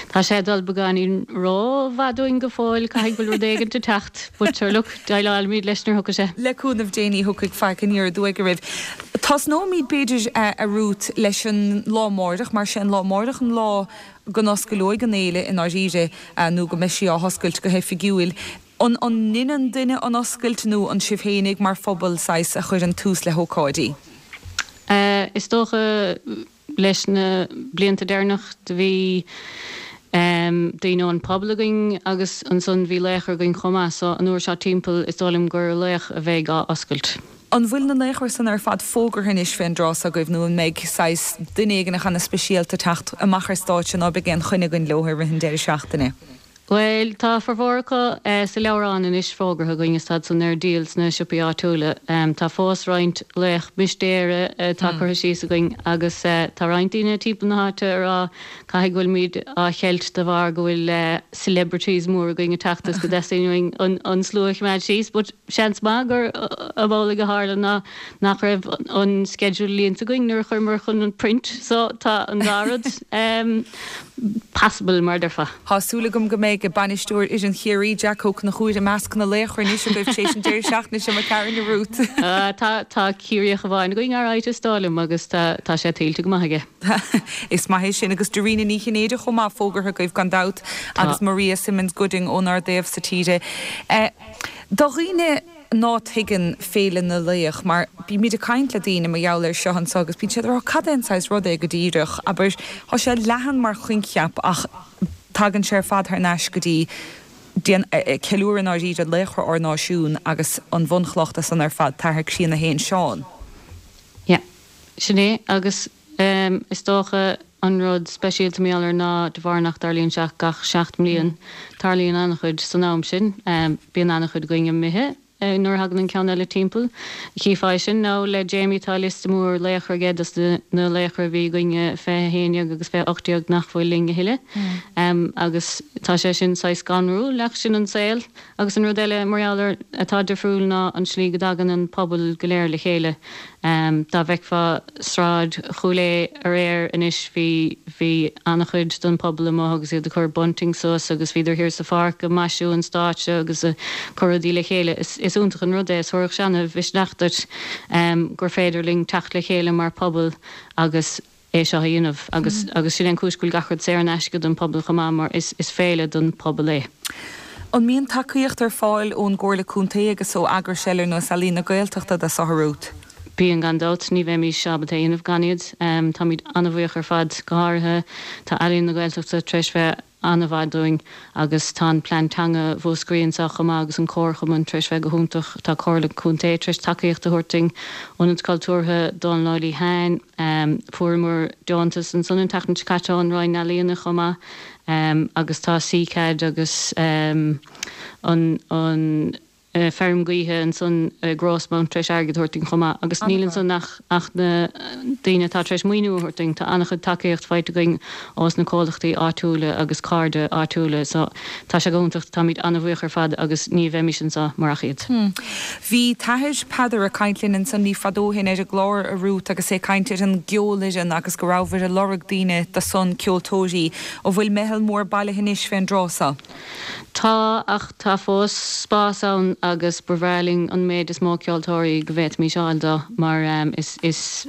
tá sé ag dul beagáinín ró-mhaith dúinn go fóill, caithfidh go bhfuil rud éigint ag teacht but sure look, déileálfaimid leis nuair a thiocfaidh sé. Le cúnamh Dé ní thiocfaidh faic aniar aduaidh oraibh. Tosnóimid b'fhéidir, a Ruth, leis an lá amáireach mar sé an lá amáireach an lá go n-oscaileoidh an fhéile i ndáiríre, nó go mbeidh sí á hoscailt go hoifigiúil. An ndeineann duine an oscailt nó an sibh fhéinig mar phobal, saghas, a chuireann tús le hócáidí? Is dócha leis na blianta deireanach do bhí daoine ón pobal againn agus ansan bhí laochra againn chomh maith so an uair seo timpeall is dóigh liom gur laoch a bheidh á oscailt. An bhfuil na laochra san ar fad fógartha anois fén dtráth so agaibh nó an mbeidh saghas duine éigin ana-speisialta ag teacht amach ar stáitse ná beidh aon choinne againn leo i rith an deireadh seachtaine? Bhuel, tá formhór acu sa leabhrán anois fógartha againn is táid san ar díol sna siopaí áitiúla. Tá fós roinnt laoch mistéire atá curtha síos againn agus tá roinnt daoine timpeall na háite ag rá caithfidh go bhfuilimid á cheilt de bharr go bhfuil celebrities mór againn ag teacht is go dteastaíonn uainn an slua a choimeád síos but seans maith gur amhlaidh a tharla ná nach raibh an schedule líonta againn nuair a chuireamar chun an print so tá an dá rud possible mar a déarfá. Tá súil agam go mbeidh bainisteoir fhoireann Chiarraí, Jack Ó Conchúir, i measc na laochra anois agaibh tar éis an deireadh seachtaine seo McCarron a Ruth. Tá, tá Ciarraíoch amháin againn alright is dóigh liom agus tá, tá sé tuillte go maith aige. Is maith é sin agus Dairena Ní Chinnéide chomh maith fógartha agaibh gan dabht agus Maria Simmons Gooding ónár dtaobh sa tír. Do dhaoine ná tuigeann Féile na Laoch, mar bímid ag caint le daoine mar gheall air seo anso agus bíonn siad ag rá cad é an saghas rud é go díreach, abair, tá sé leathan mar choincheap ach tagann sé ar fad thar n-ais go dtí déan, ceiliúradh i ndáiríre laochra ár náisiún agus an bhunchloch de san ar fad, t-athair críonna fhéin, Seán. Yeah. Sin é agus is dócha an rud speisialta mar gheall air ná de bharr nach dtarlaíonn sé ach gach 7 mbliain, tarlaíonn an-chuid san am sin. Bíonn an-chuid againn imithe nuair a thagann an ceann eile timpeall. Chífeá é sin now le Jamie, tá liosta mór laochra aige dos na laochra a bhí againn i 2011 agus 2018 nach bhfuil linn a thuilleadh. Agus tá sé sin saghas scanrúil ach sin an saol. Agus an rud eile mar gheall air atá difriúil ná an slí go dtagann an pobal go léir le chéile. Dá bhfeicfeá Sráid Chúil Aodha aréir anois bhí, bhí an-chuid den pobal amuigh agus iad ag cur bunting suas agus bhíodar thiar sa pháirc ag maisiú an stáitse agus ag cur rudaí le chéile. Is, is iontach an rud é, is thabharfadh sé ana-mhisneach duit gur féidir linn teacht le chéile mar phobal agus é seo a dhéanamh agus agus sin é an cúis go bhfuil gach rud saor in aisce don pobal chomh maith mar is is féile don pobal é. An mbíonn tacaíocht ar fáil ón gComhairle Contae agus ó eagrais eile ar nós Ealaín na Gaeltachta do seo a Ruth? Bíonn gan dabht, ní bheimís ábalta é a dhéanamh gan iad. Táimid an-bhuíoch ar fad, go háirithe tá Ealaín na Gaeltachta tar éis bheith an-mhaith dúinn agus tá an Plean Teanga Mhúscraí anseo chomh maith agus an Comharchumann tar éis bheith go hiontach. Tá Comhairle Contae tar éis tacaíocht a thabhairt dúinn, Ionad Cultúrtha Dónal Ó Liatháin, fuaireamar deontas ansan an tseachtain seo caite ón Roinn Ealaíona chomh maith agus tá CCAD agus an an feirm gaoithe ansan i Rosemount tar éis airgead a thabhairt dúinn chomh maith agus níl ansan ach ach na daoine atá tar éis maoiniú a thabhairt dúinn. Tá an-chuid tacaíocht faighte againn ós na comhlachtaí áitiúla agus cairde áitiúla so tá sé go hiontach, táimid an-bhuíoch ar fad agus ní bheimis anseo murach iad. Bhí t-athair Peadar ag caint linn ansan ní fada ó shin ar an gclár, a Ruth, agus é ag caint ar an gceolfhoireann agus go rabhabhair ag lorg daoine do san, ceoltóirí. An bhfuil meitheal mór bailithe anois fén dtráth so? Tá, ach tá fós spás ann agus ba bhreá linn an méid is mó ceoltóirí go bhféadfaimis fháil dó mar is is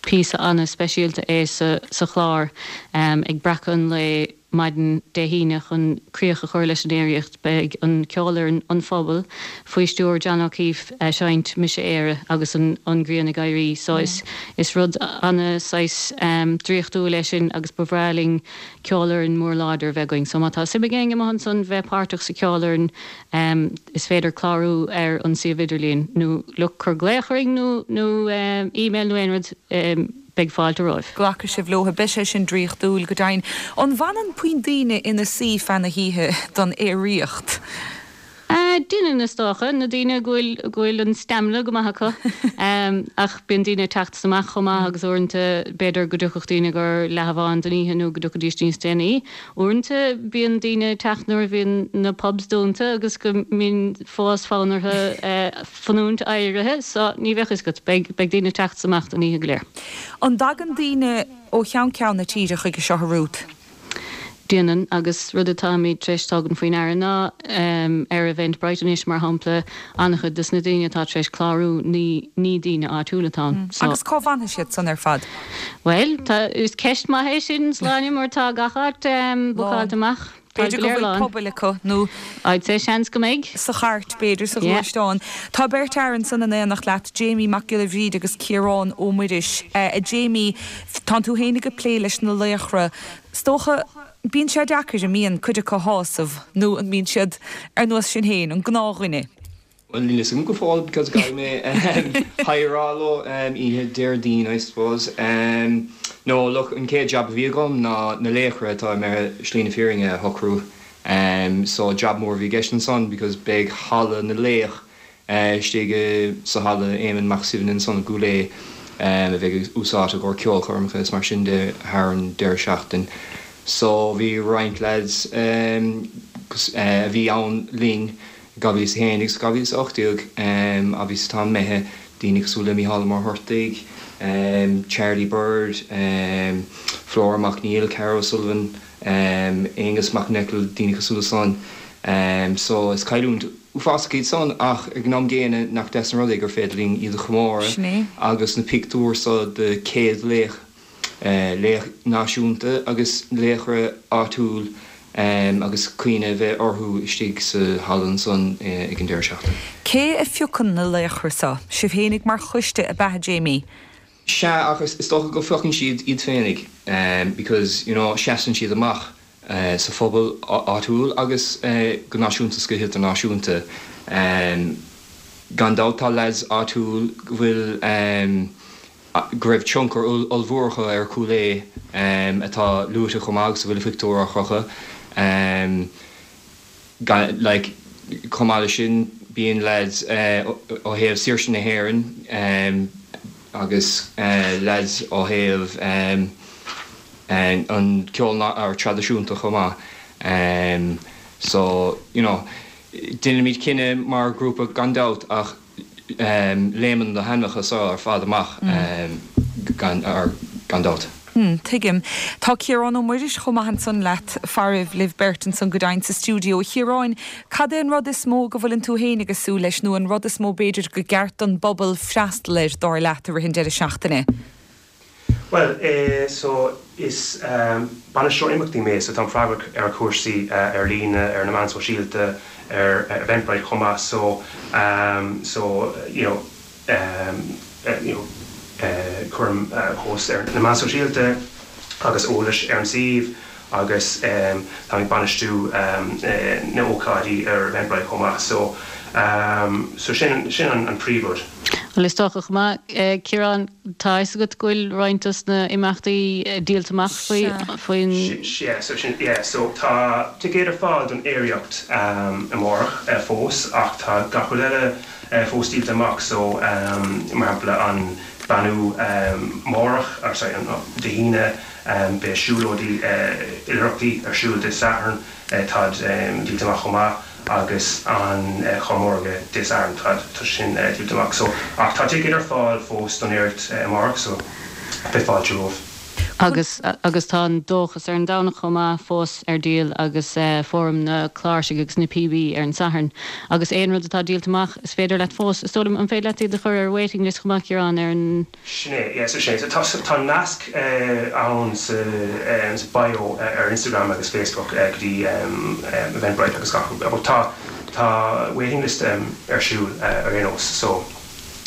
píosa ana-speisialta é sa sa chlár. Ag breacadh an lae maidin Dé hAoine chun críoch a chur leis an aeraíocht beidh an ceolfhoireann An Phobal faoi stiúir John O'Keeffe a' seinnt Mise Éire agus an an ghrian ag éirí so is is rud ana saghas draíochtúil é sin agus ba bhreá linn ceolfhoireann mór láidir a bheith againn. So má tá suim ag éinne amuigh ansan bheith páirteach sa cheolfhoireann is féidir clárú ar an suíomh idirlíon nó look cuir glaoch orainn nó nó email nó aon rud beidh fáilte romhaibh. Glacfaidh sibh leo, beidh sé sin draíochtúil go deimhin. An bhfanann puinn daoine ina suí feadh na hoíche don aeraíocht? Déanann, is dócha, na daoine go bhfuil, go bhfuil an stamina go maith acu. Ach bíonn daoine ag teacht amach chomh maith agus uaireanta b'fhéidir go dtiocfadh daoine gur leath amháin den oíche nó go dtiocfaidís níos déanaí. Uaireanta bíonn daoine ag teacht nuair a bhíonn na pubs dúnta agus go mbíonn fós fonn orthu fanúint éirithe so ní bheadh fhios agat, beidh, beidh daoine ag teacht amach don oíche go léir. An dtagann daoine ó cheann ceann na tíre chuige seo, a Ruth? Déanann, agus rud atáimid tar éis tógaint faoi ndeara ná ar Eventbrite anois, mar shampla, an-chuid des na daoine atá tar éis clárú ní ní daoine áitiúla atá ann. So. Agus cá bhfanfaidh siad san ar fad? Bhuel, tá, is ceist maith é sin, Sláine, mar tá gach áit bookáilte amach. Tá B'fhéidir go bhfuil pubaill acu nó. I'd say seans go mbeidh. Sa chairt, b'fhéidir, sa ghluaisteán. Tá beirt fhear ansan in éineacht leat, Jamie Mac Giolla Bhríde agus Ciarán Ó Muiris. A Jamie, tánn tú fhéinig ag plé leis na laochra. Is dócha, bíonn sé deacair, an mbíonn, cuid acu a shásamh, nó an mbíonn siad ar nós sinn féin, an gnáthdhuine? Bhuel, níl fhios agam go fóill because caithfidh mé hi a rá leo oíche Déardaoin I suppose. No, look, an chéad jab a bhí agam ná na laochra atá imithe slí na fírinne a shocrú. So jab mór a bhí i gceist ansan because beidh halla na laoch istigh sa halla Éamonn Mac Suibhne ansan i gCúil Aodha a bheidh úsáidte i gcomhair ceolchoirmeacha is mar sin de thar an deireadh seachtain. So bhí roinnt lads a bhí ann linn 2001 agus 2018 obviously atá imithe, daoine cosúil le Mícheál Ó Muircheartaigh, Charlie Bird, Flora Mac Neill, Carol O'Sullivan, Aonghus Mac Niocaill, daoine cosúil le san. So is cailliúint uafásach iad san ach ag an am gcéanna nach deas an rud é gur féidir linn iad a chomóradh agus na pictiúir so de 100 laoch laoch náisiúnta agus laochra áitiúil agus cuimhne a bheith orthu istigh sa halla ansan ag an deireadh seachtaine. Cé a phiocann na laochra seo? Sibh fhéinig mar choiste ab ea, a Jamie? Sea, ach is dócha go phiocann siad iad féinig because, you know, seasann siad amach sa phobal áitiúil agus go náisiúnta is go hidirnáisiúnta. Gan dabht tá lads áitiúil go bhfuil go raibh tionchar ollmhór acu ar Chúil Aodha atá luaite chomh maith agus a bhfuil a phictiúr á chrochadh. Like, chomh maith leis sin bíonn lads ó thaobh Saoirse na hÉireann agus lads ó thaobh an ceol traidisiúnta chomh maith. So, you know, déanaimid cinneadh mar ghrúpa gan dabht ach léimeann na hainmneacha seo ar fad amach gan dabht. Tuigim. Tá Ciarán Ó Muiris chomh maith ansan leat, faraibh, libh beirt ansan go deimhin sa stiúideo. A Chiaráin, cad é an rud is mó go bhfuileann tú fhéinig ag súil leis, nó an rud is mó b'fhéidir go gceart don bpobal freastal air, dar leat, i rith an deireadh seachtaine? Bhuel, eh, so is bainisteoir imeachtaí mé, so táim freagrach ar chúrsaí ar líne, ar na meáin sóisialta, ar Eventbrite chomh maith, so, so, you know, you know, cuirim post ar na meáin sóisialta agus eolais ar an suíomh agus táim ag bainistiú na ócáidí ar Eventbrite chomh maith, so, so sin, sin an príomhrud. Bhuel, is dócha chomh maith, Ciarán, tá a fhios agat go bhfuil roinnt dos na imeachtaí díolta amach faoi, faoin. Yeah, so sin, yeah, so tá ticéid ar fáil don aeraíocht amárach fós ach tá gach rud eile fós díolta amach, so mar shampla an beannú amárach, or sorry, an Dé hAoine, beidh siúlóidí oilithreachtaí ar siúl Dé Sathairn, táid díolta amach chomh maith. agus an Chormórga Dé Sathairn tá tá sin díolta amach so ach tá ticéid ar fáil fós don aeraíocht amárach so beidh fáilte romhaibh. Agus agus tá an dóchas ar an Domhnach chomh maith fós ar díol agus Fóram na Cláirsigh agus na Píobaí ar an Satharn. Agus aon rud atá díolta amach is féidir leat fós, is dóigh liom, an féidir leat iad a chur ar waiting list chomh maith Ciarán ar an. Sin é, yeah, so sin é. So tá, tá nasc ann sa, sa bio ar Instagram agus Facebook go dtí Eventbrite agus gach rud. But tá, tá waiting list ar siúl ar aon nós so,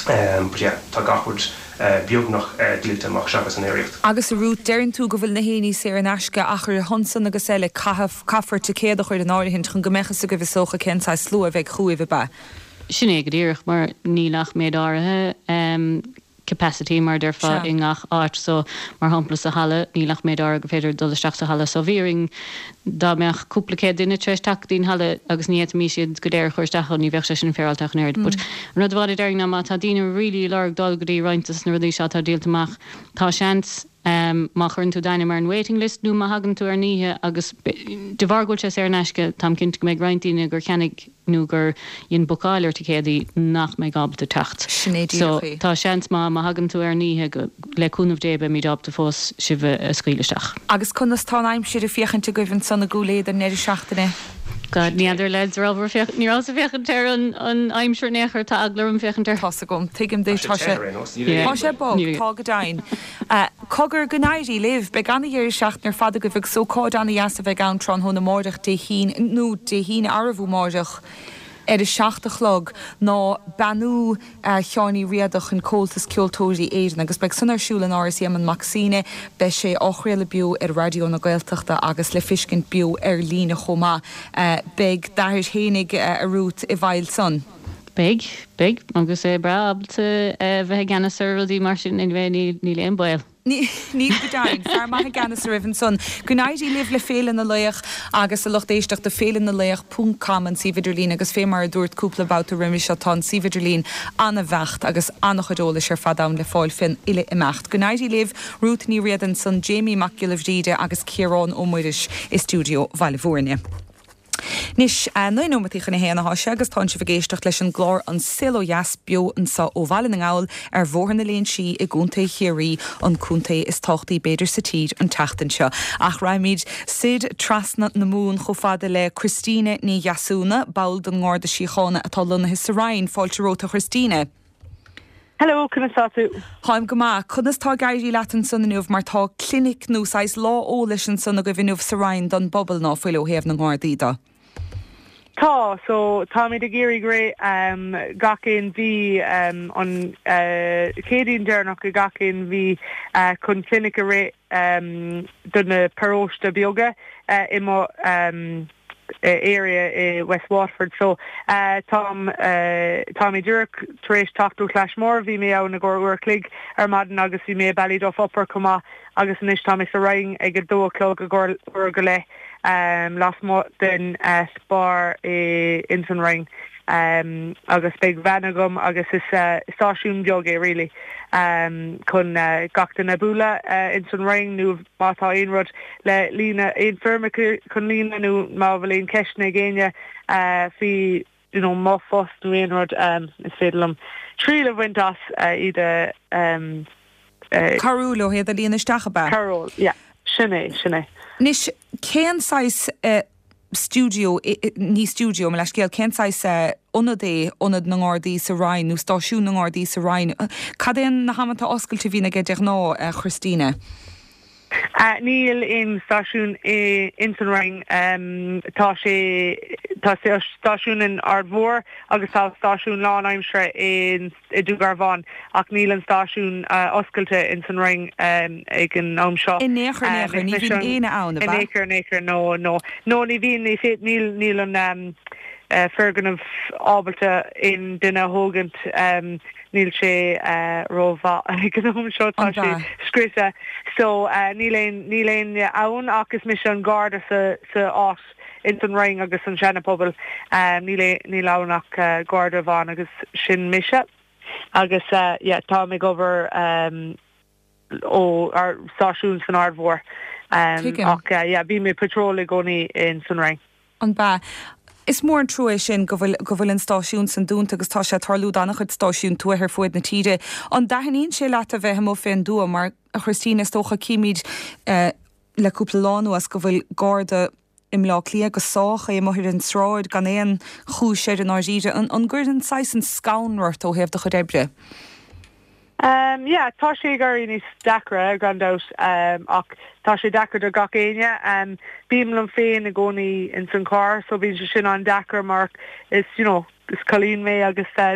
but yeah, tá gach rud beagnach díolta amach seachas an aeraíocht. Agus a Ruth, deireann tú go bhfuil na haonaí saor in aisce ach ar a shon san agus eile, caithfidh, caithfear ticéad a chur in áirithint chun go mbeadh fhios agaibh is dócha cén saghas slua a bheidh chugaibh, ab ea? Sin é go díreach, mar níl ach méid áirithe capacity, mar a déarfá, i ngach áit. So, mar shampla, sa halla, níl ach méid áirithe gur féidir dul isteach sa halla. So, bhí orainn, dá mbeadh cúpla céad duine tar éis teacht go dtí an halla agus ní fhéadfaimis iad go léir a chur isteach ann, ní bheadh sé sin féaráilte ach an oiread. But an rud amháin a déarfainn ná má tá daoine really ag lorg dul go dtí roinnt de na rudaí seo atá díolta amach, tá seans, má chuireann tú d'ainm ar an waiting list nó má thagann tú ar an oíche agus de bharr go bhfuil sé saor in aisce, táim cinnte go mbeidh roinnt daoine gur cheannaigh nó gur dhein bookáil ar ticéadaí nach mbeidh ábalta teacht. Sin é So, díreach é. tá seans maith má thagann tú ar an oíche go, le cúnamh Dé, beimid ábalta fós sibh a scaoileadh isteach. Agus conas tá an aimsir ag féachaint agaibh ansan i gCúil Aodha don ndeireadh seachtaine? God, ní fheadar lads, rabhamar féach, ní rabhas ag féachaint ar an, an aimsir in aon chor, tá eagla orm féachaint air. Tá's agam, tuigim duit, tá sé, tá sé bog, tá go deimhin. Cogar, go n-éirí libh, beidh ana-dheireadh seachtaine ar fad agaibh agus ócáid ana-dheas a bheidh ann tráthnóna amáireach Dé hAoine, nó Dé hAoine arbh fhiú amáireach, ar a 7 a chlog ná beannú Sheáin Uí Riada chun Comhaltas Ceoltóirí Éireann agus beidh san ar siúl in Áras Éamonn Mac Suibhne. Beidh sé á chraoladh beo ar Raidió na Gaeltachta agus le fiscint beo ar líne chomh maith. Beidh d'athair fhéinig, a Ruth, i bhfeighil san. Beidh, beidh, agus é breá ábalta a bheith i gceannas ar rudaí mar sin anyway, níl aon baol. Níl go deimhin. Fear maith i gceannas oraibh ansan. Go n-éirí libh le Féile na Laoch agus a lucht éisteachta, féilenalaoch ponc com an suíomh idirlín agus fé mar a dúrt cúpla babhta roimhe seo tá an suíomh idirlín ana-bheacht agus ana-chuid eolais ar fad ann le fáil fén uile imeacht. Go n-éirí libh, Ruth Ní Riada ansan, Jamie Mac Giolla Bhríde agus Ciarán Ó Muiris i stiúideo Bhaile Bhúirne. Anois, 9 nóimeataí chun a haon athá sé agus tánn sibh ag éisteacht leis an gclár An Saol Ó Dheas beo anso ó Bhaile na nGall ar Bhóthar na Léinsí i gContae Chiarraí, an contae is tábhachtaí b'fhéidir sa tír an tseachtain seo. Ach raghaimid soir trasna na Mumhan chomh fada le Christina Ní Dheasúna, ball den nGarda Síochána atá lonnaithe sa Rinn. Fáilte romhat a Christina. Hello, conas tá tú? Táim go maith. Conas tá ag éirí leat ansan inniu mar tá clinic nó saghas lá eolais ansan agaibh inniu sa Rinn don bpobal ná fuil ó thaobh na nGardaí de? Tá, so táimid ag iarraidh rith um, gach aon mhí um, an uh, Chéadaoin deireanach i gach aon mhí uh, chun clinic a rith um, do na paróiste beaga uh, i mo um, area i West Waterford so táim tá mé díreach tar éis teacht ó Clashmore, bhí mé ann i gcomhair uair a chloig ar maidin agus bhí mé i Ballyduff Upper chomh maith agus anois tá mé sa Rinn ag a dó a chlog i gcomhair uair go leith lasmuigh den Spar ins an Rinn agus beidh veain agam agus is stáisiún beag é really chun gach duine bualadh ins an Rinn nó má tá aon rud le líonadh, aon foirmeacha chun líonadh nó má bhfuil aon ceisteanna ag éinne faoi you know mo phost nó aon rud is féidir liom triail a bhaint as iad a Cabhrú leo iad a líonadh isteach, ab ea? Cabhrú, yeah. Sin é, sin é. Anois, cén saghas stiúideo, ní stiúideo, mo leithscéal, cén saghas ionad é Ionad na nGardaí sa Rinn nó Stáisiún na nGardaí sa Rinn? Cad é na hamanta oscailte a bhíonn aige de ghnáth, a Christina? Níl aon stáisiún ins an Rinn. Tá sé, tá stáisiún in Aird Mhór agus tá stáisiún lánaimseartha i dTúr Garbhán ach níl an stáisiún oscailte ins an Rinn ag an am seo. In aon chor, in aon chor, ní bhíonn éinne ann, ab ea? In aon chor, in aon chor, no, no. No, ní bhíonn, ní féad, níl, níl an foirgneamh ábalta aon duine a thógaint. Níl sé rómhaith ag an am seo, tá sé scriosta. So níl aon, níl éinne ann ach is mise an garda sa, sa áit ins an Rinn agus an Seana Pobal. Níl, níl ann ach garda amháin agus sin mise. Agus yeah, táim ag obair ó ár stáisiún san Aird Mhór. Ach yeah, bím ag patrol i gcónaí ins an Rinn. An b'ea? Is mór an trua é sin go bhfuil, go bhfuil an stáisiún san dúnta agus tá sé ag tarlú d'an-chuid stáisiún tuaithe ar fuaid na tíre. An dtaitníonn sé leat a bheith amuigh fén dtuath mar, a Christina, is dócha címid le cúpla lá anuas go bhfuil Garda i mBleá Cliath go sách é amuigh ar an tsráid gan aon chúis air i ndáiríre. An, an gcuireann saghas an scanradh ort ó thaobh do chuid oibre? Um yeah, tá sé ag éirí níos deacra gan dabht um ach tá sé deacair do gach éinne. Um bím liom féin i gcónaí ins an carr so bíonn sé sin an-deacair mar is you know is cailín mé agus tá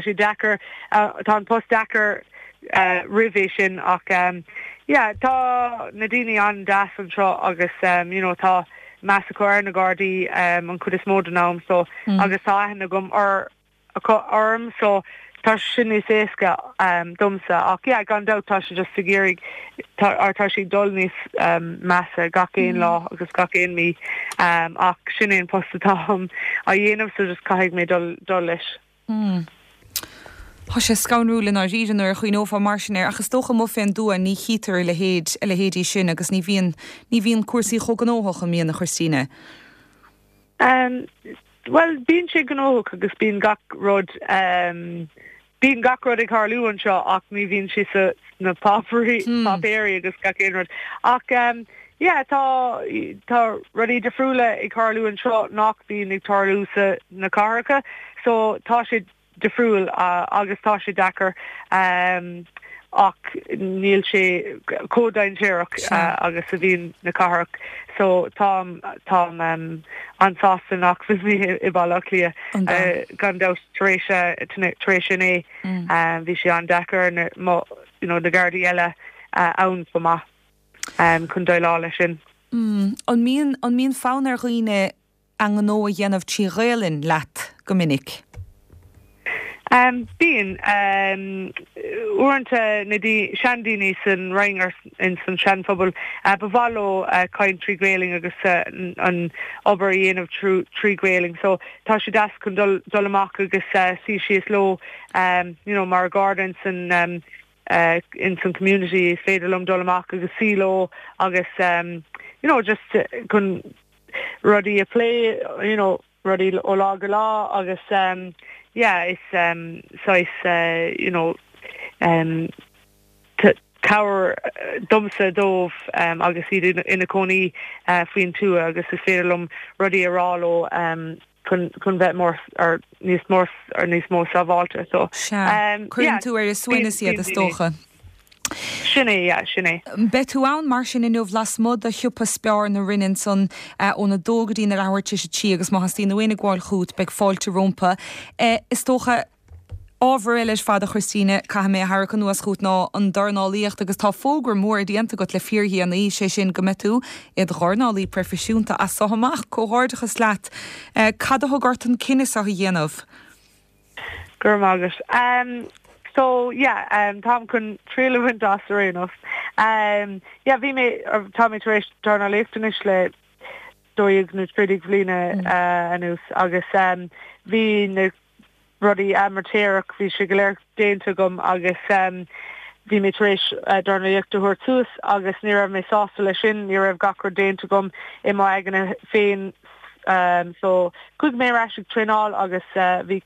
sé deacair tá an post deacair uh roimh é sin ach um yeah tá na daoine an-deas anseo agus um you know tá meas acu ar na Gardaí um an chuid is mó den am so agus tá aithne agam ar acu orm so tá sé sin níos éasca domsa ach yeah gan dabht tá sé just ag iarraidh tá or tá sé ag dul níos measa gach aon lá agus gach aon mí ach sin é an post atáim á dhéanamh so just caithfidh mé dul dul leis. Mm. Tá sé scanrúil i ndáiríre nuair a chuimhneofá mar sin air ach is dócha amuigh fén dtuath ní chítear a leithéid a leithéidí sin agus ní bhíonn ní bhíonn cúrsaí chomh gnóthach an mbíonn a Christina? Um, Bhuel, bíonn sé gnóthach agus bíonn gach rud, bíonn gach rud ag tarlú anseo ach ní bhíonn sé sa sna páipéirí, páipéirí agus gach aon rud. Ach yeah, tá, tá rudaí difriúla ag tarlú anseo nach bíonn ag tarlú sa na cathracha so tá sé difriúil agus tá sé deacair ach níl sé chomh dainséarach agus a bhíonn na cathrach so táim táim an-sásta nach bhfuil mé i Baile Átha Cliath gan dabht tar éis tar éis inné bhí sé an-deacair ar na mo you know na Gardaí eile ann chomh maith chun déileáil leis sin. An mbíonn an mbíonn fonn ar dhaoine a ngnó a dhéanamh trí Ghaelainn leat go minic? Bíonn. Uaireanta na seandaoine san Rinn or in san seanphobal, ba mhaith leo caint trí Ghaelainn agus an obair a dhéanamh trí Ghaelainn. So tá sé deas chun dul dul amach agus suí síos leo you know mar Gharda in san in san community is féidir liom dul amach agus suí leo agus you know just chun rudaí a phlé you know rudaí ó lá go lá agus yeah is saghas you know cabhair domsa dóibh agus iad ina cónaí faoin tuath agus is féidir liom rudaí a rá leo chun chun bheith more or níos mó or níos mó sábháilte so Sea, cuireann tú ar a suaimhneas iad is dócha. Sin é, yeah, sin é. Beidh tú ann mar sin inniu lasmuigh de shiopa Spar na Rinne ansan óna dó go dtí na leathuair tar éis a trí agus má theastaíonn ó éinne gabháil chugat beidh fáilte rompu. Is dócha, ábhar eile ar fad a Christina, caithfidh mé a tharrac anuas chugat ná an dornálaíocht agus tá fógra mór déanta agat le fíordhéanaí, sé sin go mbeidh tú id dhornálaí proifisiúnta as so amach. Comhghairdeachas leat. Cad a thug ort an cinneadh seo a dhéanamh? Go raibh maith agat. Um so yeah um táim chun triail a bhaint as ar aon nós. Um yeah bhí mé tá mé tar éis dornálaíocht anois le 12 nó 13 bhliana uh anuas agus um bhí na rudaí amaitéarach bhí sé go léir déanta agam agus um bhí mé tar éis dornálaíocht a thabhairt suas agus ní raibh mé sásta leis sin, ní raibh gach rud déanta agam i m'aigne féin um so chuaigh mé ar ais ag traenáil agus bhí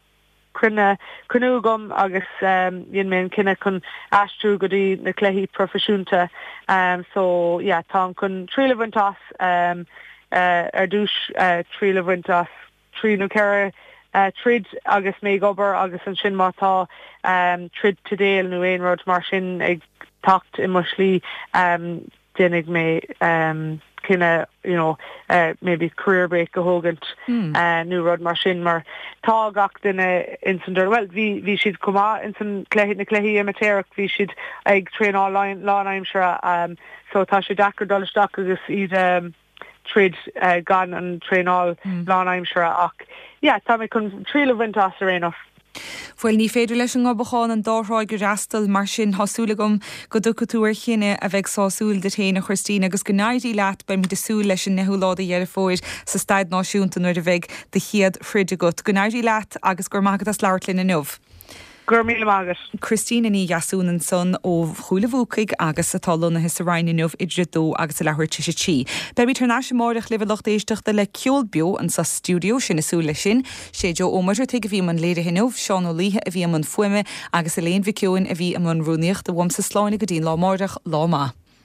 cruinne cruinniú agam agus um dhein mé an cinneadh chun aistriú go dtí na cluichí proifisiúnta um so yeah táim chun triail a bhaint as um ar dtús triail a bhaint as trí nó 4 troid agus mé ag obair agus ansin má tá troid teideal nó aon rud mar sin ag teacht i mo shlí déanfaidh mé cinneadh you know maybe career break a thógaint nó rud mar sin mar tá gach duine ins an bhuel bhí bhí siad chomh maith ins an cluiche na cluichí amaitéarach bhí siad ag traenáil lánaimseartha so tá sé deacair dul isteach agus iad troid gan an traenáil lánaimseartha ach yeah tá mé chun triail a bhaint as ar aon nós. Bhuel, ní féidir leis an nGobachán an dá thráigh a fhreastal, mar sin tá súil agam go dtiocfaidh tú ar chinneadh a bheidh sásúil duit féin, a Christine, agus go n-éirí leat. Beimid ag súil leis an ndeichiú lá de Dheireadh Fómhair sa Staid Náisiúnta nuair a bheidh do chéad throid agat. Go n-éirí leat agus go raibh maith agat as labhairt linn inniu. Go raibh míle maith agat. Christina Ní Dheasún ansan ó Chúil a' Bhuacaigh agus atá lonnaithe sa Rinn inniu idir a dó agus a leathuair tar éis a 3. Beimid thar n-ais amáireach libh a lucht éisteachta le ceol beo anso sa stiúideo, sinn ag súil leis sin. Sé Joe Ó Muircheartaigh a bhí i mbun léirithe inniu, Seán Ó Laoithe a bhí i mbun fuaime agus Elaine Mhic Eoin a bhí i mbun rúnaíochta. Uaimse slán go dtí an lá amáireach, lá maith.